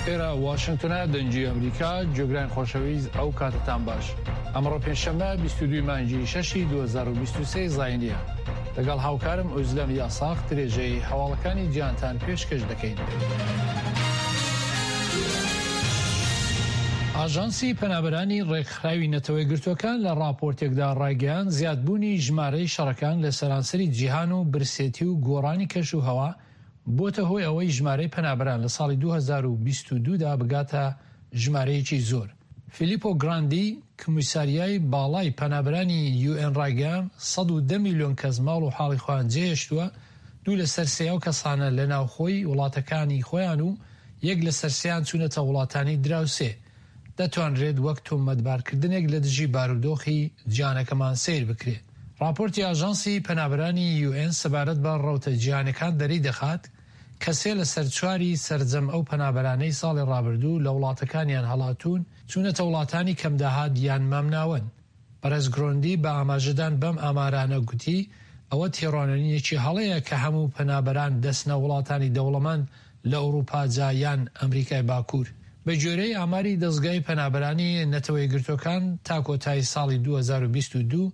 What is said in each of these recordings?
ئێرە واشنگتنە دەنگی ئەمریکا جۆگران خۆشەویست ئەو کاتتان باش ئەمڕۆ پێنجشەممە 22 مانگی شەشی 2023 زاینیە لەگەڵ هاوکارم ئۆزلەم یاساق درێژەی هەواڵەکانی جیهانتان پێشکەش دەکەین. ئاژانسی پەنابەرانی ڕێکخراوی نەتەوەیەکگرتووەکان لە ڕاپۆرتێکدا ڕایگەیاند، زیادبوونی ژمارەی شەڕەکان لە سەرانسەری جیهان و برسێتی و گۆڕانی کەش و هەوا بۆتە هۆی ئەوەی ژمارەی پەنابەران لە ساڵی 2022 دا بگاتە ژمارەیەکی زۆر. فیلیپۆ گراندی، کمیساریای باڵای پەنابەرانی یو ئێن ڕایگەیاند، 110 ملیۆن کەس ماڵ و حاڵی خۆیان جێهێشتووە، دوو لەسەر سێی ئەو کەسانە لە ناوخۆی وڵاتەکانی خۆیان و یەک لەسەر سێیان چوونەتە وڵاتانی دراوسێ، دەتوانرێت وەک تۆمەتبارکردنێک لە دژی بارودۆخی جیهانەکەمان سەیر بکرێت. ڕاپۆرتی ئاژانسی پەنابەرانی یو ئێن سەبارەت بە ڕەوتە جیهانیەکان دەریدەخات کە سێ لەسەر چواری سەرجەم ئەو پەنابەرانەی ساڵی ڕابردوو لە وڵاتەکانیان هەڵاتوون چوونەتە وڵاتانی کەمداهات یان مامناوەند. بەڕێز گرۆندی بە ئاماژەدان بەم ئامارانە گوتی، ئەوە تێڕوانینێکی هەڵەیە کە هەموو پەنابەران دەچنە وڵاتانی دەوڵەمەند لە ئەوروپا جا یان ئەمریکای باکوور. بە گوێرەی ئاماری دەزگای پەنابەرانی نەتەوەیەکگرتووەکان تا کۆتایی ساڵی 2022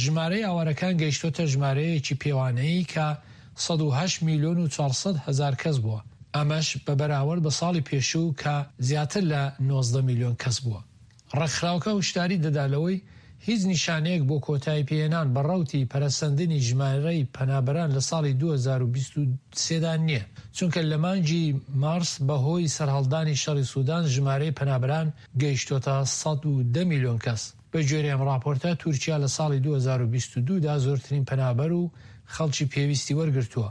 ژمارەی ئاوارەکان گەیشتۆتە ژمارەیەکی پێوانەیی کە 108 میلیۆن و 400 هەزار کەس بووە، ئەمەش بە بەراورد بە ساڵی پێشوو کە زیاتر لە 19 میلیۆن کەس بووە. ڕێکخراوەکە هۆشداری دەدا لەوەی هیچ نیشانەیەک بۆ کۆتاییپێهێنان بە ڕەوتی پەرەسەندنی ژمارەی پەنابەران لە ساڵی 2023 دا نییە، چونکە لە مانگی مارس بەهۆی سەرهەڵدانی شەڕی سودان ژمارەی پەنابەران گەیشتۆتە 110 میلیۆن کەس. بەگوێرەی ئەم ڕاپۆرتە، تورکیا لە ساڵی 2022 دا زۆرترین پەنابەر و خەڵکی پێویستی وەرگرتووە.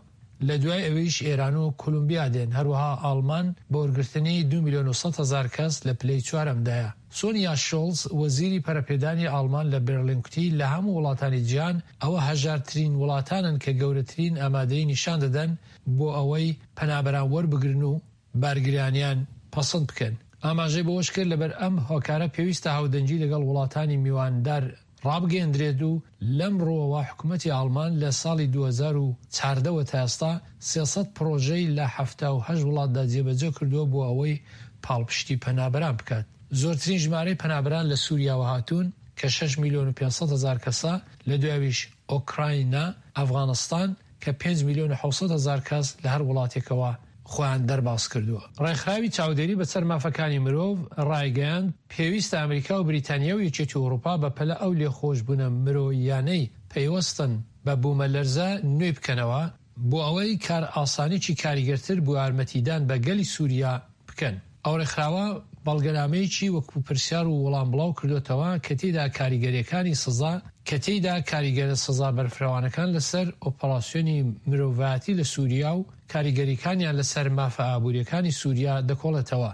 لە دوای ئەویش ئێران و کولومبیا دێن، هەروەها ئاڵمان بە وەرگرتنی دوو میلیۆن و 100 هەزار کەس لە پلەی چوارەمدایە. سۆنیا شۆڵز، وەزیری پەرەپێدانی ئاڵمان لە بێرلین کوتی، لە هەموو وڵاتانی جیهان ئەوە هەژارترین وڵاتانن کە گەورەترین ئامادەیی نیشان دەدەن بۆ ئەوەی پەنابەران وەربگرن و بارگرانیان پەسند بکەن. ئاماژەی بەوەشکرد، لەبەر ئەم هۆکارە پێویستە هاودەنگی لەگەڵ وڵاتانی میواندار ڕابگەیەندرێت و لەم ڕووەوە حکومەتی ئاڵمان لە ساڵی 2014 وە تا ئێستا 300 پڕۆژەی لە 78 وڵاتدا جێبەجێ کردووە بۆ ئەوەی پاڵپشتی پەنابەران بکات. زۆرترین ژمارەی پەنابەران لە سووریاوە هاتوون کە شەش میلیۆن و 500 هەزار کەسە، لە دوایویش ئۆکراینا، ئەفغانستان، کە پێنج میلیۆن و 700 هەزار کەس لە هەر وڵاتێکەوە خۆیان دەرباز کردووە. ڕێکخراوی چاودێری بەسەر مافەکانی مرۆڤ ڕایگەیاند، پێویستە ئەمریکا و بریتانیا و یەکێتی ئەوروپا بەپەلە ئەو لێخۆشبوونە مرۆییانەی پەیوەستن بە بوومەلەرزە نوێی بکەنەوە، بۆ ئەوەی کارئاسانیی کاریگەرتر بۆ یارمەتیدان بە گەلی سووریا بکەن. ئەو ڕێکخراوە بەڵگەنامەیەکی وەکو پرسیار و وەڵام بڵاو کردۆتەوە کە تێیدا کاریگەرییەکانی سزا کە تێیدا کاریگەرە سزا بەرفرەوانەکان لەسەر ئۆپەراسیۆنی مرۆڤایەتی لە سووریا و کاریگەرییەکانیان لەسەر مافە ئابوورییەکانی سووریا دەکۆڵێتەوە.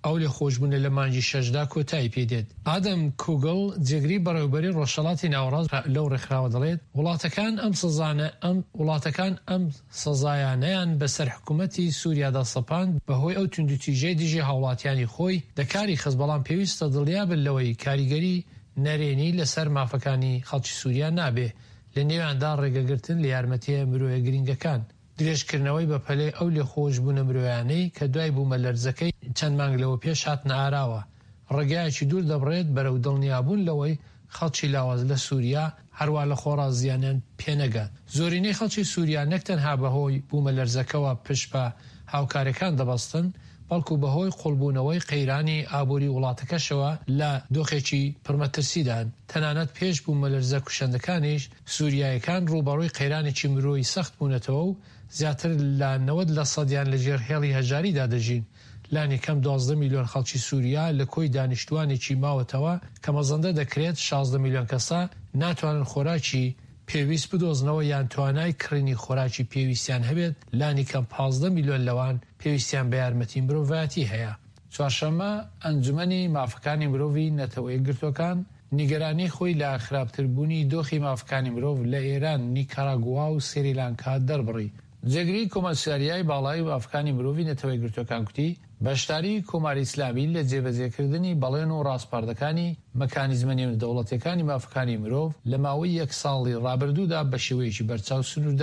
ئەو لێخۆشبوونە لە مانگی شەشدا کۆتایی پێ دێت. ئادەم کوگڵ، جێگری بەڕێوەبەری ڕۆژهەڵاتی ناوەڕاست لەو ڕێکخراوە دەڵێت، وڵاتەکان ئەم سزانە ئەم وڵاتەکان ئەم سزایانەیان بەسەر حکومەتی سوریادا سەپاند بەهۆی ئەو توندوتیژیەی دژی هاوڵاتیانی خۆی دەکاری خست، بەڵام پێویستە دڵنیابن لەوەی کاریگەری نەرێنی لەسەر مافەکانی خەڵکی سوریا نابێ، لەنێویاندا ڕێگەگرتن لە یارمەتیە مرۆیە گرنگەکان. درێژکردنەوەی بەپەلەی ئەو لێخۆشبوونە مرۆیانەی کە دوای بوومەلەرزەکەی چەند مانگ لەوەپێش هاتنە ئاراوە، ڕێگایەکی دوور دەبڕێت بەرەو دڵنیابوون لەوەی خەڵکی لاواز لە سوریا هەروا لە خۆڕا زیانیان پێنەگات. زۆرینەی خەڵکی سوریا نەک تەنها بەهۆی بوومەلەرزەکەوە پشت بە هاوکارییەکان دەبەستن، بەڵکو بەهۆی قوڵبوونەوەی قەیرانی ئابووری وڵاتەکەشەوە لە دۆخێکی پڕمەترسیدان، تەنانەت پێش بوومەلەرزە کوشەندەکانیش سوریایەکان ڕووبەڕووی قەیرانێکی مرۆیی سەخت بوونەتەوە و زیاتر لە 90 لەسەدیان لەژێر هێڵی هەژاریدا دەژین. لانیکەم 12 میلیۆن خەڵکی سوریا لە کۆی دانیشتووانێکی ماوەتەوە کە مەزەندە دەکرێت 16 میلیۆن کەسە، ناتوانن خۆراکی پێویست بدۆزنەوە یان توانای کڕینی خۆراکی پێویستیان هەبێت، لانیکەم 15 میلیۆن لەوان پێویستیان بە یارمەتی مرۆڤایەتی هەیە. چوارشەممە، ئەنجومەنی مافەکانی مرۆڤی نەتەوە یەکگرتووەکان نیگەرانی خۆی لە خراپتربوونی دۆخی مافەکانی مرۆڤ لە ئێران، نیکاراگوا و سریلانکا دەربڕی. جێگری کۆمەساریای باڵای مافەکانی مرۆڤی نەتەوە یەکگرتووەکان گوتی، بەشداریی کۆماری ئیسلامی لە جێبەجێکردنی بەڵێن و ڕاسپاردەکانی مەکانیزمە نێودەوڵەتییەکانی مافەکانی مرۆڤ لە ماوەی یەک ساڵی ڕابردوودا بە شێوەیەکی بەرچاو سنووردار.